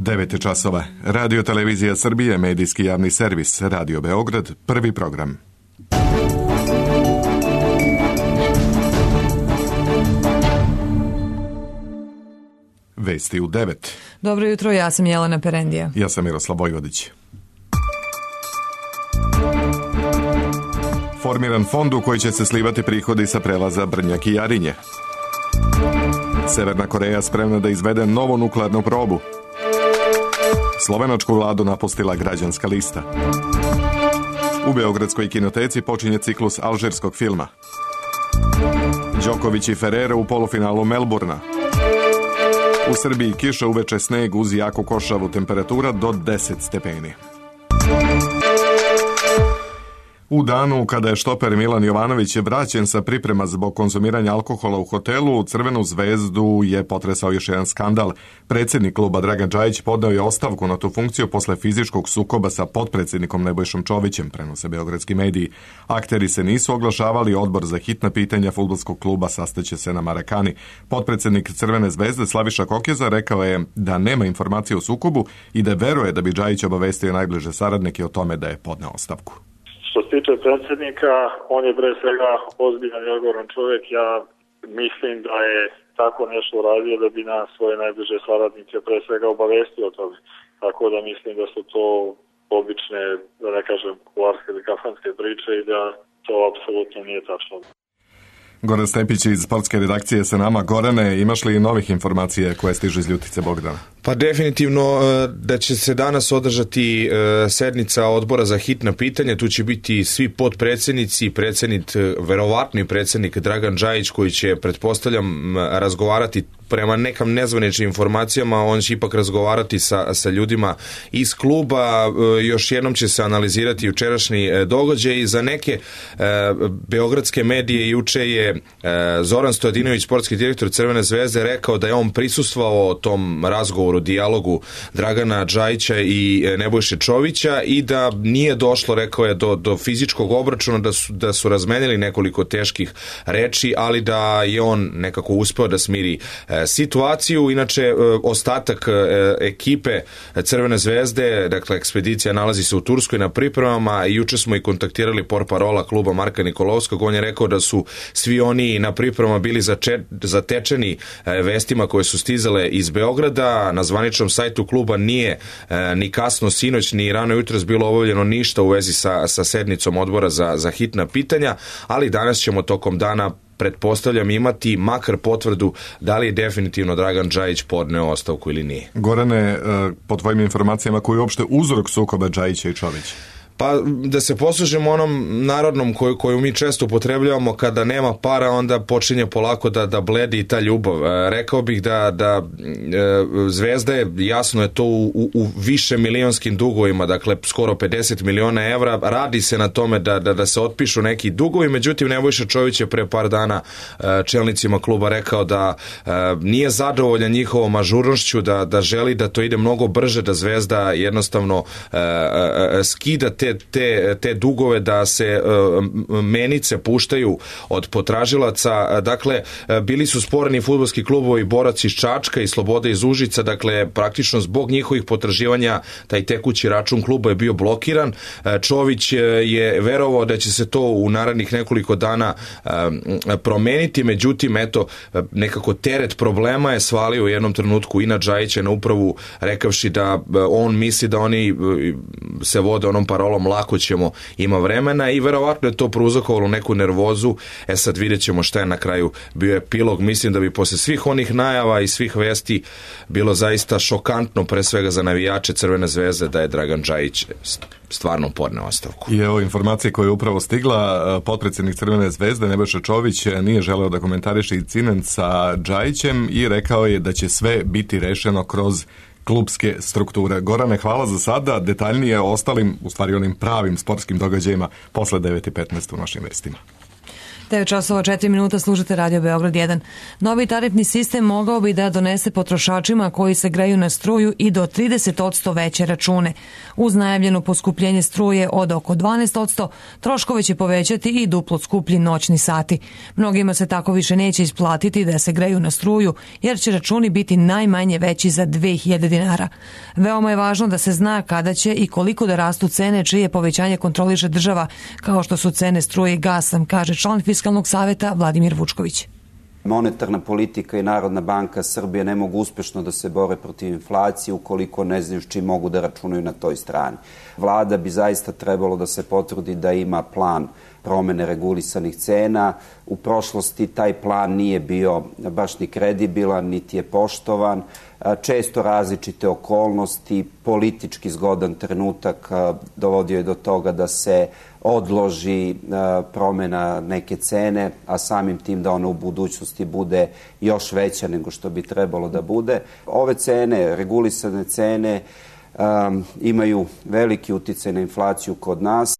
9 časova. Radio Televizija Srbije, medijski javni servis, Radio Beograd, prvi program. Vesti u 9. Dobro jutro, ja sam Jelena Perendija. Ja sam Miroslav Vojvodić. Formiran fond u koji će se slivati prihodi sa prelaza Brnjak i Jarinje. Severna Koreja spremna da izvede novu nuklearnu probu. Slovenačku vladu napustila građanska lista. U Beogradskoj kinoteci počinje ciklus alžirskog filma. Đoković i Ferrero u polufinalu Melburna. U Srbiji kiša, uveče sneg uz jaku košavu, temperatura do 10 stepeni. U danu kada je štoper Milan Jovanović vraćen sa priprema zbog konzumiranja alkohola u hotelu, Crvenu zvezdu je potresao još jedan skandal. Predsjednik kluba Dragan Džajić podneo je ostavku na tu funkciju posle fizičkog sukoba sa potpredsjednikom Nebojšom Čovićem, prenose beogradski mediji. Akteri se nisu oglašavali, odbor za hitna pitanja fudbalskog kluba sastaće se na Marakani. Potpredsjednik Crvene zvezde Slaviša Kokeza rekao je da nema informacije o sukobu i da veruje da bi Džajić obavestio najbliže saradnike o tome da je podneo ostavku. Što se tiče predsjednika, on je pre svega ozbiljan i odgovoran čovjek. Ja mislim da je tako nešto uradio da bi nas svoje najbliže saradnike pre svega obavestio o tome. Tako da mislim da su to obične, da ne kažem, kularske ili kafanske priče i da to apsolutno nije tačno. Goran Stepić iz sportske redakcije sa nama. Gorane, imaš li novih informacija koje stižu iz Ljutice Bogdana? Pa definitivno da će se danas održati sednica odbora za hitna pitanja. Tu će biti svi potpredsjednici, verovatni predsjednik Dragan Džajić koji će, pretpostavljam, razgovarati prema nekam nezvaničnim informacijama, on će ipak razgovarati sa ljudima iz kluba. Još jednom će se analizirati jučerašnji događaj i za neke beogradske medije juče je Zoran Stojadinović, sportski direktor Crvene zvezde, rekao da je on prisustvovao tom razgovoru, dijalogu Dragana Džajića i Nebojše Čovića i da nije došlo, rekao je, do fizičkog obračuna, da su razmenili nekoliko teških reči, ali da je on nekako uspeo da smiri situaciju. Inače, ostatak ekipe Crvene zvezde, dakle ekspedicija nalazi se u Turskoj na pripremama i juče smo i kontaktirali portparola kluba Marka Nikolovskog. On je rekao da su svi oni na pripremama bili zatečeni vestima koje su stizale iz Beograda. Na zvaničnom sajtu kluba nije ni kasno sinoć ni rano jutros bilo obavljeno ništa u vezi sa sednicom odbora za hitna pitanja, ali danas ćemo tokom dana, pretpostavljam, imati makar potvrdu da li je definitivno Dragan Džajić podneo ostavku ili nije. Gorane, po tvojim informacijama, koji je uopšte uzrok sukoba Džajića i Čovića? Pa da se poslužimo onom narodnom koju mi često upotrebljavamo, kada nema para onda počinje polako da bledi i ta ljubav. Rekao bih da Zvezda je, jasno je to, u više milionskim dugovima, dakle skoro 50 miliona evra. Radi se na tome da se otpišu neki dugovi, međutim Nebojša Čović je pre par dana čelnicima kluba rekao da nije zadovoljan njihovom ažurnošću, da želi da to ide mnogo brže, da Zvezda jednostavno skida te dugove, da se menice puštaju od potražilaca. Dakle, bili su sporni fudbalski klubovi Borac iz Čačka i Sloboda iz Užica, dakle praktično zbog njihovih potraživanja taj tekući račun kluba je bio blokiran. Čović je verovao da će se to u narednih nekoliko dana promeniti, međutim eto, nekako teret problema je svalio u jednom trenutku i na Džajića, na upravu, rekavši da on misli da oni se vode onom parolom lako ćemo, ima vremena, i verovatno je to prouzrokovalo neku nervozu. Sad vidjet ćemo šta je na kraju bio epilog. Mislim da bi posle svih onih najava i svih vesti bilo zaista šokantno, pre svega za navijače Crvene zvezde, da je Dragan Džajić stvarno podneo ostavku. I evo informacije koje je upravo stigla. Potpredsjednik Crvene zvezde Nebojša Čović nije želeo da komentariše incident sa Džajićem i rekao je da će sve biti rešeno kroz klubske strukture. Gorane, hvala za sada. Detaljnije o ostalim, u stvari onim pravim sportskim događajima posle 9:15 u našim vestima. 9 časova 4 minuta, slušate Radio Beograd 1. Novi tarifni sistem mogao bi da donese potrošačima koji se greju na struju i do 30% veće račune. Uz najavljeno poskupljenje struje od oko 12%, troškove će povećati i duplo skuplji noćni sati. Mnogima se tako više neće isplatiti da se greju na struju, jer će računi biti najmanje veći za 2000 dinara. Veoma je važno da se zna kada će i koliko da rastu cene čije povećanje kontroliše država, kao što su cene struje i gasa, kaže član Fiskalnog saveta Vladimir Vučković. Monetarna politika i Narodna banka Srbije ne mogu uspešno da se bore protiv inflacije ukoliko ne znaju s čim mogu da računaju na toj strani. Vlada bi zaista trebalo da se potrudi da ima plan promene regulisanih cena. U prošlosti taj plan nije bio baš ni kredibilan, niti je poštovan. Često različite okolnosti, politički zgodan trenutak dovodio je do toga da se odloži promena neke cene, a samim tim da ona u budućnosti bude još veća nego što bi trebalo da bude. Ove cene, regulisane cene, imaju veliki uticaj na inflaciju kod nas.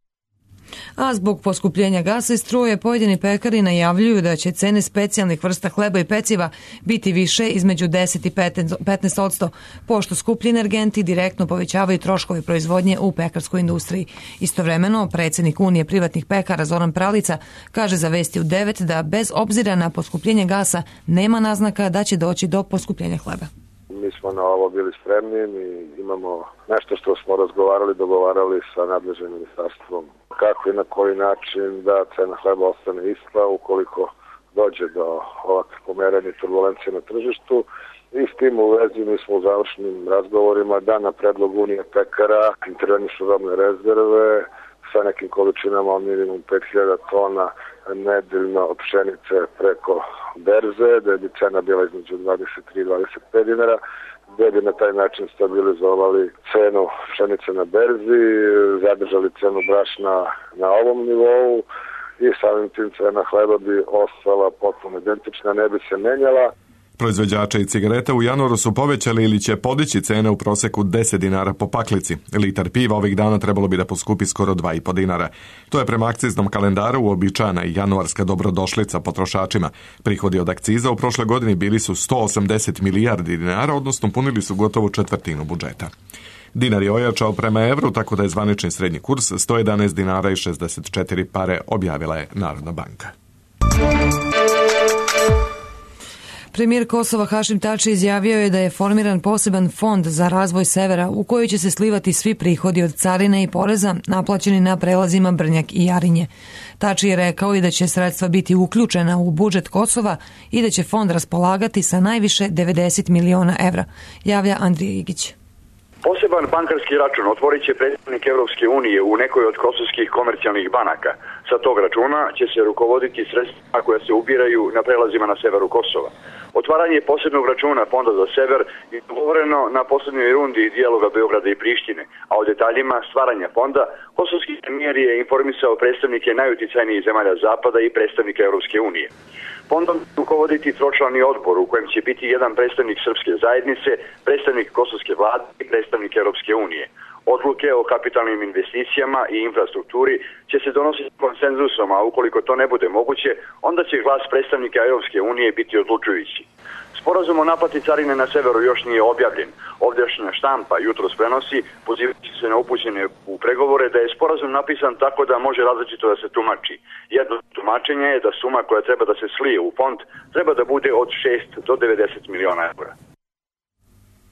A zbog poskupljenja gasa i struje, pojedini pekari najavljuju da će cene specijalnih vrsta hleba i peciva biti više između 10 i 15%, pošto skuplji energenti direktno povećavaju troškove proizvodnje u pekarskoj industriji. Istovremeno, predsjednik Unije privatnih pekara Zoran Pralica kaže za Vesti u 9 da bez obzira na poskupljenje gasa nema naznaka da će doći do poskupljenja hleba. Mi smo na ovo bili spremni, mi imamo nešto što smo razgovarali, dogovarali sa nadležnim ministarstvom. Kako i na koji način da cena hleba ostane ista ukoliko dođe do ovakve pomeranja i turbulencije na tržištu. I s tim u vezi mi smo u završnim razgovorima da na predlog Unije pekara intervenišu robne rezerve sa nekim količinama od minimum 5000 tona nedeljno od pšenice preko berze, da bi cena bila između 23 i 25 dinara, da bi na taj način stabilizovali cenu pšenice na berzi, zadržali cenu brašna na ovom nivou i samim tim cena hleba bi ostala potpuno identična, ne bi se menjala. Proizvođači i cigareta u januaru su povećali ili će podići cene u proseku 10 dinara po paklici. Litar piva ovih dana trebalo bi da poskupi skoro 2,5 dinara. To je prema akciznom kalendaru uobičajena i januarska dobrodošlica potrošačima. Prihodi od akciza u prošle godini bili su 180 milijardi dinara, odnosno punili su gotovo četvrtinu budžeta. Dinar je ojačao prema evru, tako da je zvanični srednji kurs 111 dinara i 64 pare, objavila je Narodna banka. Premijer Kosova Hašim Tači izjavio je da je formiran poseban fond za razvoj severa u koji će se slivati svi prihodi od carine i poreza naplaćeni na prelazima Brnjak i Jarinje. Tači je rekao i da će sredstva biti uključena u budžet Kosova i da će fond raspolagati sa najviše 90 miliona evra, javlja Andrija Igić. Poseban bankarski račun otvorit će predstavnik Evropske unije u nekoj od kosovskih komercijalnih banaka. Sa tog računa će se rukovoditi sredstva koja se ubiraju na prelazima na severu Kosova. Otvaranje posebnog računa Fonda za sever je dogovoreno na poslednjoj rundi dijaloga Beograda i Prištine, a o detaljima stvaranja fonda kosovski premijer je informisao predstavnike najuticajnijih zemalja Zapada i predstavnika Evropske unije. Fondom će rukovoditi tročlani odbor u kojem će biti jedan predstavnik srpske zajednice, predstavnik kosovske vlade i predstavnik Evropske unije. Odluke o kapitalnim investicijama i infrastrukturi će se donositi konsenzusom, a ukoliko to ne bude moguće, onda će glas predstavnika Evropske unije biti odlučujući. Sporazum o naplati carine na severu još nije objavljen. Ovdašnja štampa jutros prenosi, pozivajući se na upućene u pregovore, da je sporazum napisan tako da može različito da se tumači. Jedno tumačenje je da suma koja treba da se slije u fond treba da bude od 6 do 90 miliona eura.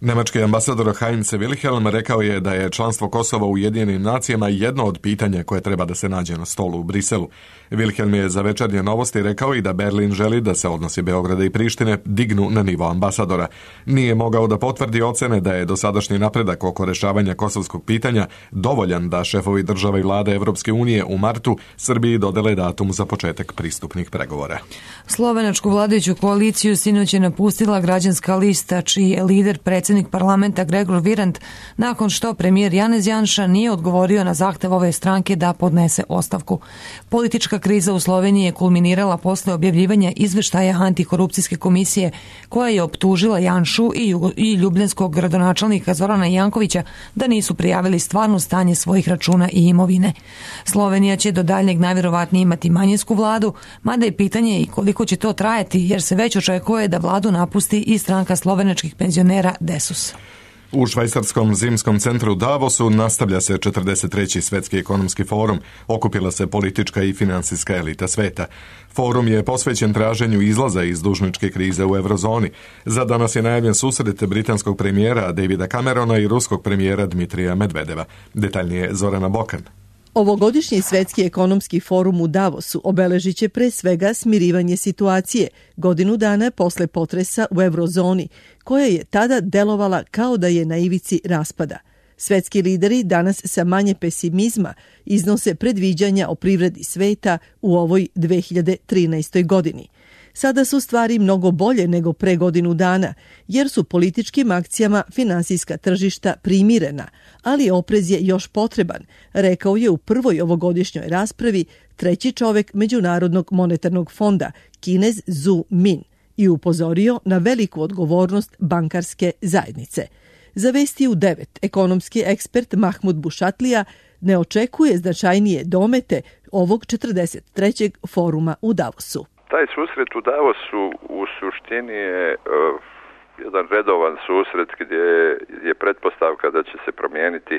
Nemački ambasador Heinz Wilhelm rekao je da je članstvo Kosova u Ujedinjenim nacijama jedno od pitanja koje treba da se nađe na stolu u Briselu. Wilhelm je za Večernje novosti rekao i da Berlin želi da se odnosi Beograda i Prištine dignu na nivo ambasadora. Nije mogao da potvrdi ocene da je dosadašnji napredak oko rešavanja kosovskog pitanja dovoljan da šefovi država i vlade Evropske unije u martu Srbiji dodele datum za početak pristupnih pregovora. Slovenačku vladajuću koaliciju sinoć je napustila građanska lista, čiji je lider predsjednik predsjednik parlamenta Gregor Virant nakon što premijer Janez Janša nije odgovorio na zahtev ove stranke da podnese ostavku. Politička kriza u Sloveniji je kulminirala posle objavljivanja izveštaja antikorupcijske komisije koja je optužila Janšu i ljubljanskog gradonačelnika Zorana Jankovića da nisu prijavili stvarno stanje svojih računa i imovine. Slovenija će do daljnjeg najvjerovatnije imati manjinsku vladu, mada je pitanje i koliko će to trajati, jer se već očekuje da vladu napusti i stranka slovenačkih penzionera DESUS. U švajcarskom zimskom centru Davosu nastavlja se 43. svetski ekonomski forum. Okupila se politička i finansijska elita sveta. Forum je posvećen traženju izlaza iz dužničke krize u eurozoni. Za danas je najavljen susret britanskog premijera Davida Camerona i ruskog premijera Dmitrija Medvedeva. Detaljnije Zorana Bokan. Ovogodišnji svetski ekonomski forum u Davosu obeležit će pre svega smirivanje situacije godinu dana posle potresa u eurozoni, koja je tada delovala kao da je na ivici raspada. Svetski lideri danas sa manje pesimizma iznose predviđanja o privredi sveta u ovoj 2013. godini. Sada su stvari mnogo bolje nego pre godinu dana, jer su političkim akcijama finansijska tržišta primirena, ali oprez je još potreban, rekao je u prvoj ovogodišnjoj raspravi treći čovek Međunarodnog monetarnog fonda, Kinez Zhu Min, i upozorio na veliku odgovornost bankarske zajednice. Za Vesti u 9, ekonomski ekspert Mahmud Bušatlija ne očekuje značajnije domete ovog 43. foruma u Davosu. Taj susret u Davosu u suštini je jedan redovan susret gdje je pretpostavka da će se promijeniti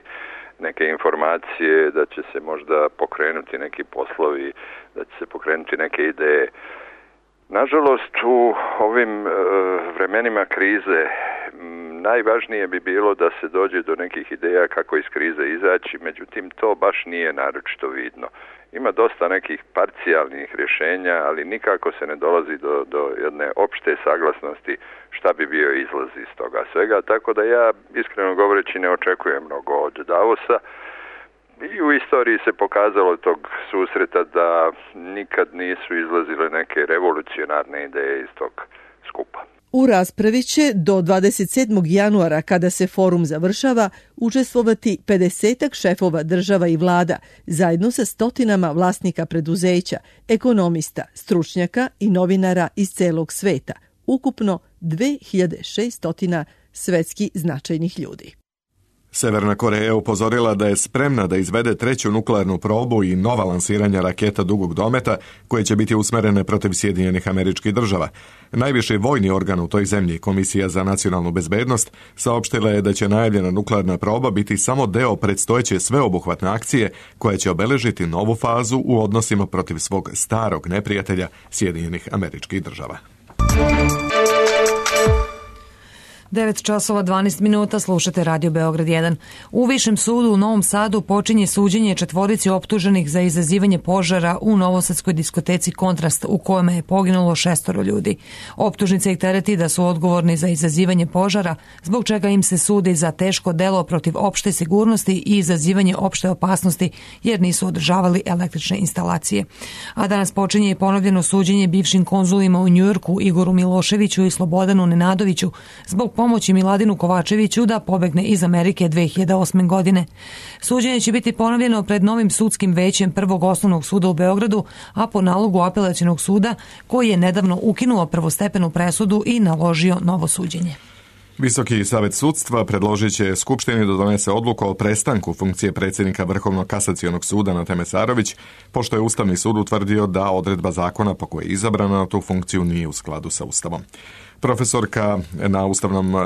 neke informacije, da će se možda pokrenuti neki poslovi, da će se pokrenuti neke ideje. Nažalost, u ovim vremenima krize najvažnije bi bilo da se dođe do nekih ideja kako iz krize izaći, međutim to baš nije naročito vidno. Ima dosta nekih parcijalnih rješenja, ali nikako se ne dolazi do jedne opšte saglasnosti šta bi bio izlaz iz toga svega, tako da ja iskreno govoreći ne očekujem mnogo od Davosa. I u istoriji se pokazalo tog susreta da nikad nisu izlazile neke revolucionarne ideje iz tog skupa. U raspravi će do 27. januara, kada se forum završava, učestvovati 50 šefova država i vlada, zajedno sa stotinama vlasnika preduzeća, ekonomista, stručnjaka i novinara iz celog sveta, ukupno 2600 svetski značajnih ljudi. Severna Koreja je upozorila da je spremna da izvede treću nuklearnu probu i nova lansiranja raketa dugog dometa koje će biti usmerene protiv Sjedinjenih Američkih Država. Najviši vojni organ u toj zemlji, Komisija za nacionalnu bezbednost, saopštila je da će najavljena nuklearna proba biti samo deo predstojeće sveobuhvatne akcije koja će obeležiti novu fazu u odnosima protiv svog starog neprijatelja Sjedinjenih Američkih Država. 9:12 slušate Radio Beograd 1. U Višem sudu u Novom Sadu počinje suđenje četvorici optuženih za izazivanje požara u novosadskoj diskoteci Kontrast u kojima je poginulo 6 ljudi. Optužnica ih tereti da su odgovorni za izazivanje požara, zbog čega im se sudi za teško delo protiv opšte sigurnosti i izazivanje opšte opasnosti jer nisu održavali električne instalacije. A danas počinje i ponovljeno suđenje bivšim konzulima u Njujorku Igoru Miloševiću i Slobodanu Nenadoviću zbog pomoći Miladinu Kovačeviću da pobegne iz Amerike 2008. godine. Suđenje će biti ponovljeno pred novim sudskim većem Prvog osnovnog suda u Beogradu, a po nalogu apelacionog suda koji je nedavno ukinuo prvostepenu presudu i naložio novo suđenje. Visoki savet sudstva predložit će Skupštini da donese odluku o prestanku funkcije predsjednika Vrhovnog kasacionog suda Nate Mesarović, pošto je Ustavni sud utvrdio da odredba zakona po kojoj je izabrana na tu funkciju nije u skladu sa Ustavom. Profesorka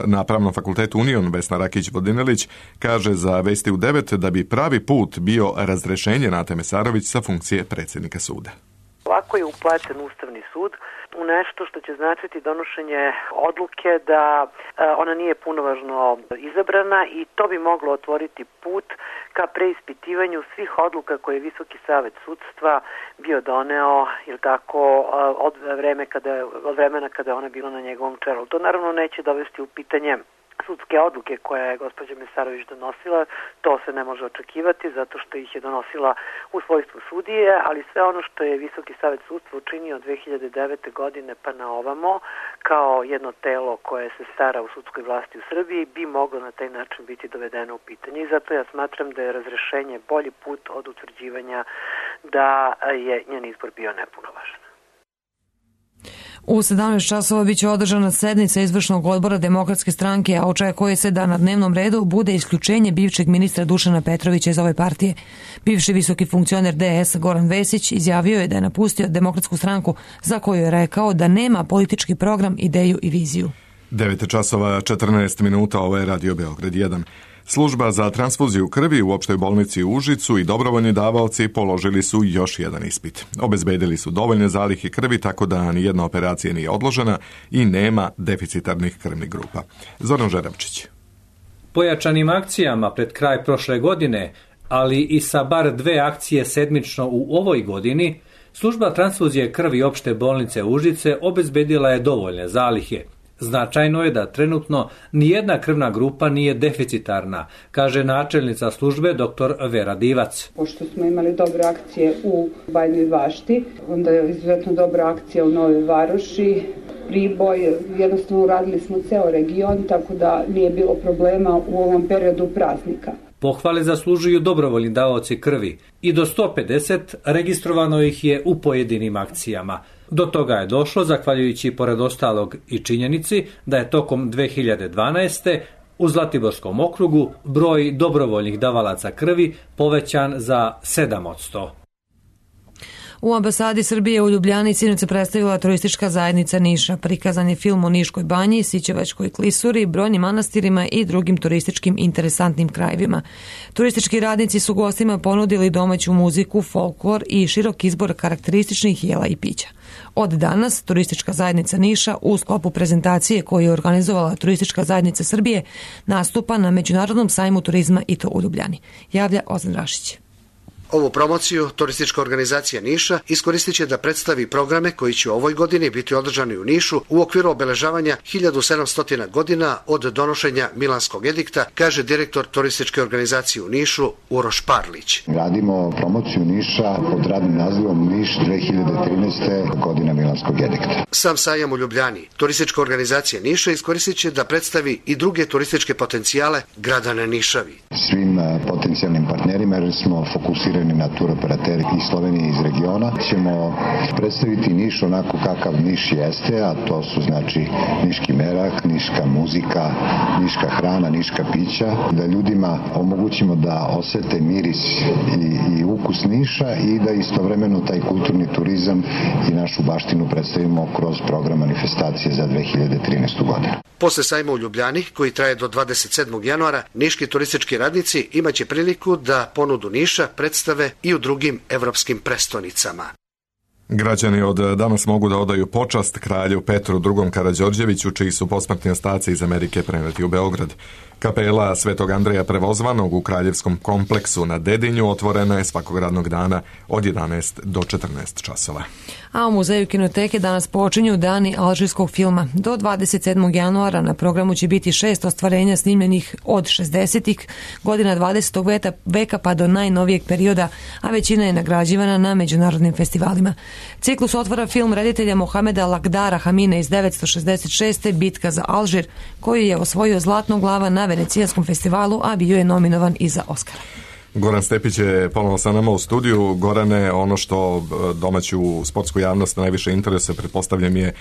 na Pravnom fakultetu Union Vesna Rakić-Vodinelić kaže za Vesti u 9 da bi pravi put bio razrešenje Nate Mesarović sa funkcije predsjednika suda. Ovako je upleten Ustavni sud u nešto što će značiti donošenje odluke da ona nije punovažno izabrana i to bi moglo otvoriti put ka preispitivanju svih odluka koje je Visoki savet sudstva bio doneo ili tako od vremena kada je ona bila na njegovom čelu. To naravno neće dovesti u pitanje sudske odluke koje je gospođa Mesarović donosila, to se ne može očekivati zato što ih je donosila u svojstvu sudije, ali sve ono što je Visoki savet sudstva učinio od 2009. godine pa na ovamo, kao jedno telo koje se stara u sudskoj vlasti u Srbiji, bi moglo na taj način biti dovedeno u pitanje. I zato ja smatram da je razrešenje bolji put od utvrđivanja da je njen izbor bio nepunovažan. U 17 časova biće održana sednica izvršnog odbora Demokratske stranke, a očekuje se da na dnevnom redu bude isključenje bivšeg ministra Dušana Petrovića iz ove partije. Bivši visoki funkcioner DS Goran Vesić izjavio je da je napustio Demokratsku stranku, za koju je rekao da nema politički program, ideju i viziju. 9 časova 14 minuta, ovo je Radio Beograd 1. Služba za transfuziju krvi u opštoj bolnici u Užicu i dobrovoljni davaoci položili su još jedan ispit. Obezbedili su dovoljne zalihe krvi tako da nijedna operacija nije odložena i nema deficitarnih krvnih grupa. Zoran Žeravčić. Pojačanim akcijama pred kraj prošle godine, ali i sa bar 2 akcije sedmično u ovoj godini, služba transfuzije krvi opšte bolnice Užice obezbedila je dovoljne zalihe. Značajno je da trenutno nijedna krvna grupa nije deficitarna, kaže načelnica službe dr. Vera Divac. Pošto smo imali dobre akcije u Bajnoj Bašti, onda je izuzetno dobra akcija u Novoj Varoši, Priboj, jednostavno uradili smo ceo region, tako da nije bilo problema u ovom periodu praznika. Pohvale zaslužuju dobrovoljni davaoci krvi i do 150 registrovano ih je u pojedinim akcijama. Do toga je došlo zahvaljujući pored ostalog i činjenici da je tokom 2012. u Zlatiborskom okrugu broj dobrovoljnih davalaca krvi povećan za 7%. U ambasadi Srbije u Ljubljani sinoć se predstavila turistička zajednica Niša. Prikazan je film o Niškoj banji, Sićevačkoj klisuri, brojnim manastirima i drugim turističkim interesantnim krajevima. Turistički radnici su gostima ponudili domaću muziku, folklor i širok izbor karakterističnih jela i pića. Od danas turistička zajednica Niša u sklopu prezentacije koju je organizovala Turistička zajednica Srbije nastupa na Međunarodnom sajmu turizma i to u Ljubljani. Javlja Ozan Rašić. Ovu promociju turistička organizacija Niša iskoristit će da predstavi programe koji će u ovoj godini biti održani u Nišu u okviru obeležavanja 1700 godina od donošenja Milanskog edikta, kaže direktor turističke organizacije u Nišu Uroš Parlić. Radimo promociju Niša pod radnim nazivom Niš 2013. godina Milanskog edikta. Sam sajam u Ljubljani, turistička organizacija Niša iskoristit će da predstavi i druge turističke potencijale grada na Nišavi. Svim potencijalnim partnerima, jer smo fokusirani na turoperateri iz Slovenije i iz regiona, ćemo predstaviti Niš onako kakav Niš jeste, a to su znači niški merak, niška muzika, niška hrana, niška pića, da ljudima omogućimo da osete miris i ukus Niša i da istovremeno taj kulturni turizam i našu baštinu predstavimo kroz program manifestacije za 2013. godinu. Posle sajma u Ljubljani, koji traje do 27. januara, niški turistički radnici imaće priliku da ponudu Niša predstave i u drugim evropskim prestonicama. Građani od danas mogu da odaju počast kralju Petru II. Karađorđeviću, čiji su posmrtni ostaci iz Amerike preneti u Beograd. Kapela Svetog Andreja Prevozvanog u Kraljevskom kompleksu na Dedinju otvorena je svakog radnog dana od 11 do 14 časova. A u Muzeju kinoteke danas počinju dani alžirskog filma. Do 27. januara na programu će biti 6 ostvarenja snimljenih od 60. godina 20. veka pa do najnovijeg perioda, a većina je nagrađivana na međunarodnim festivalima. Ciklus otvara film reditelja Mohameda Lagdara Hamine iz 1966. Bitka za Alžir, koji je osvojio Zlatnog glava na Venecijanskom festivalu, a bio je nominovan i za Oskara. Goran Stepić je ponovno sa nama u studiju. Gorane, ono što domaću sportsku javnost najviše interesuje, pretpostavljam, je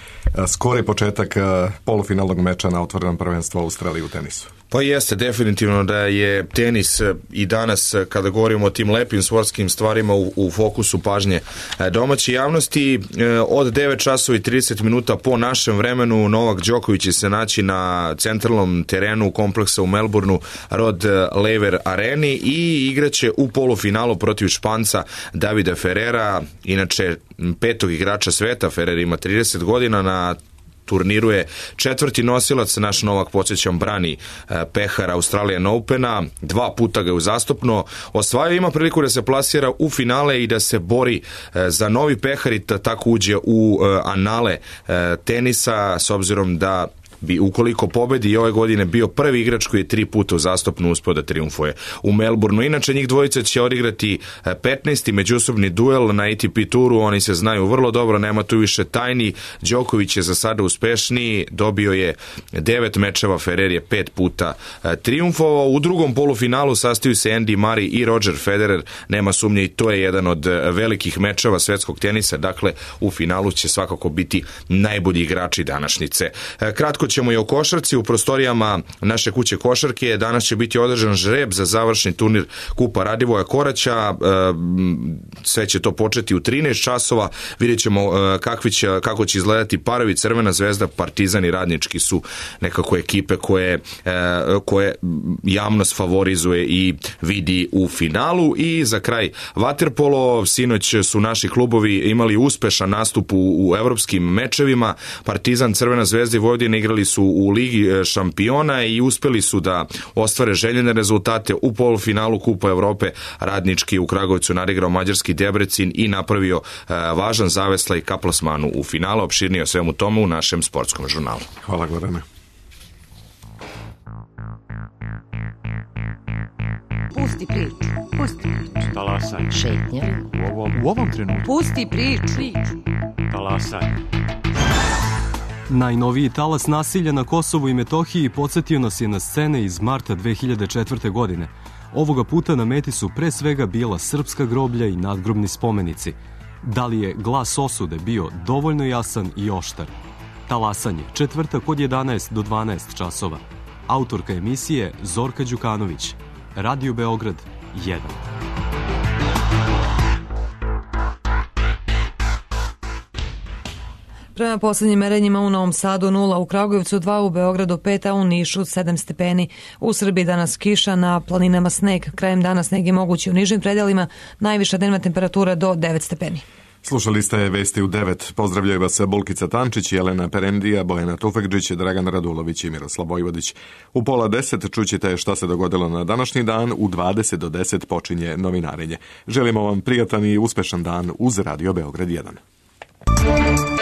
skori početak polufinalnog meča na otvorenom prvenstvu Australije u tenisu. Pa jeste, definitivno da je tenis i danas, kada govorimo o tim lepim sportskim stvarima, u fokusu pažnje domaće javnosti. Od 9 časova i 30 minuta po našem vremenu Novak Đoković će se naći na centralnom terenu kompleksa u Melbourneu Rod Laver Areni i igraće u polufinalu protiv Španca Davida Ferrera, inače petog igrača sveta. Ferrer ima 30 godina, na turniru je četvrti nosilac. Naš Novak, podsjećam, brani pehar Australian Opena, 2 puta ga je uzastopno osvajao, ima priliku da se plasira u finale i da se bori za novi pehar i da tako uđe u anale tenisa, s obzirom da bi ukoliko pobedi i ove godine bio prvi igrač koji je 3 puta uzastopno uspeo da trijumfuje u Melbourneu. Inače, njih dvojica će odigrati 15. međusobni duel na ATP turu, oni se znaju vrlo dobro, nema tu više tajni. Đoković je za sada uspešniji, dobio je 9 mečeva, Ferrer je 5 puta trijumfovao. U drugom polufinalu sastaju se Andy Murray i Roger Federer, nema sumnje i to je jedan od velikih mečeva svetskog tenisa, dakle u finalu će svakako biti najbolji igrači današnjice. Kratko ćemo i o košarci. U prostorijama naše kuće košarke danas će biti održan žreb za završni turnir Kupa Radivoja Koraća. Sve će to početi u 13 časova. Vidjet ćemo kako će izgledati parovi. Crvena zvezda, Partizan i Radnički su nekako ekipe koje javnost favorizuje i vidi u finalu. I za kraj vaterpolo. Sinoć su naši klubovi imali uspešan nastup u evropskim mečevima. Partizan, Crvena zvezda i Vojvodina igrali su u Ligi šampiona i uspeli su da ostvare željene rezultate. U polufinalu Kupa Evrope Radnički u Kragujevcu nadigrao mađarski Debrecin i napravio važan zaveslaj ka plasmanu u finalu. Opširnije o svemu tomu u našem sportskom žurnalu. Hvala, Gorane. Pusti priču. Pusti priču. Talasaj. Šetnja. U ovom trenutku. Pusti priču. Talasaj. Najnoviji talas nasilja na Kosovu i Metohiji podsjetio nas je na scene iz marta 2004. godine. Ovoga puta na meti su pre svega bila srpska groblja i nadgrobni spomenici. Da li je glas osude bio dovoljno jasan i oštar? Talasanje, četvrtak od 11 do 12 časova. Autorka emisije Zorka Đukanović. Radio Beograd 1. Prema poslednjim merenjima u Novom Sadu 0, u Kragujevcu 2, u Beogradu 5, a u Nišu 7 stepeni. U Srbiji danas kiša, na planinama sneg. Krajem dana sneg je mogući u nižim predelima, najviša dnevna temperatura do 9 stepeni. Slušali ste Vesti u 9. Pozdravljaju vas Bulkica Tančić, Jelena Perendija, Bojana Tufekđić, Dragan Radulović i Miroslav Vojvodić. U 9:30 čućete šta se dogodilo na današnji dan, u 20 do 10 počinje novinarenje. Želimo vam prijatan i uspešan dan uz Radio Beograd 1.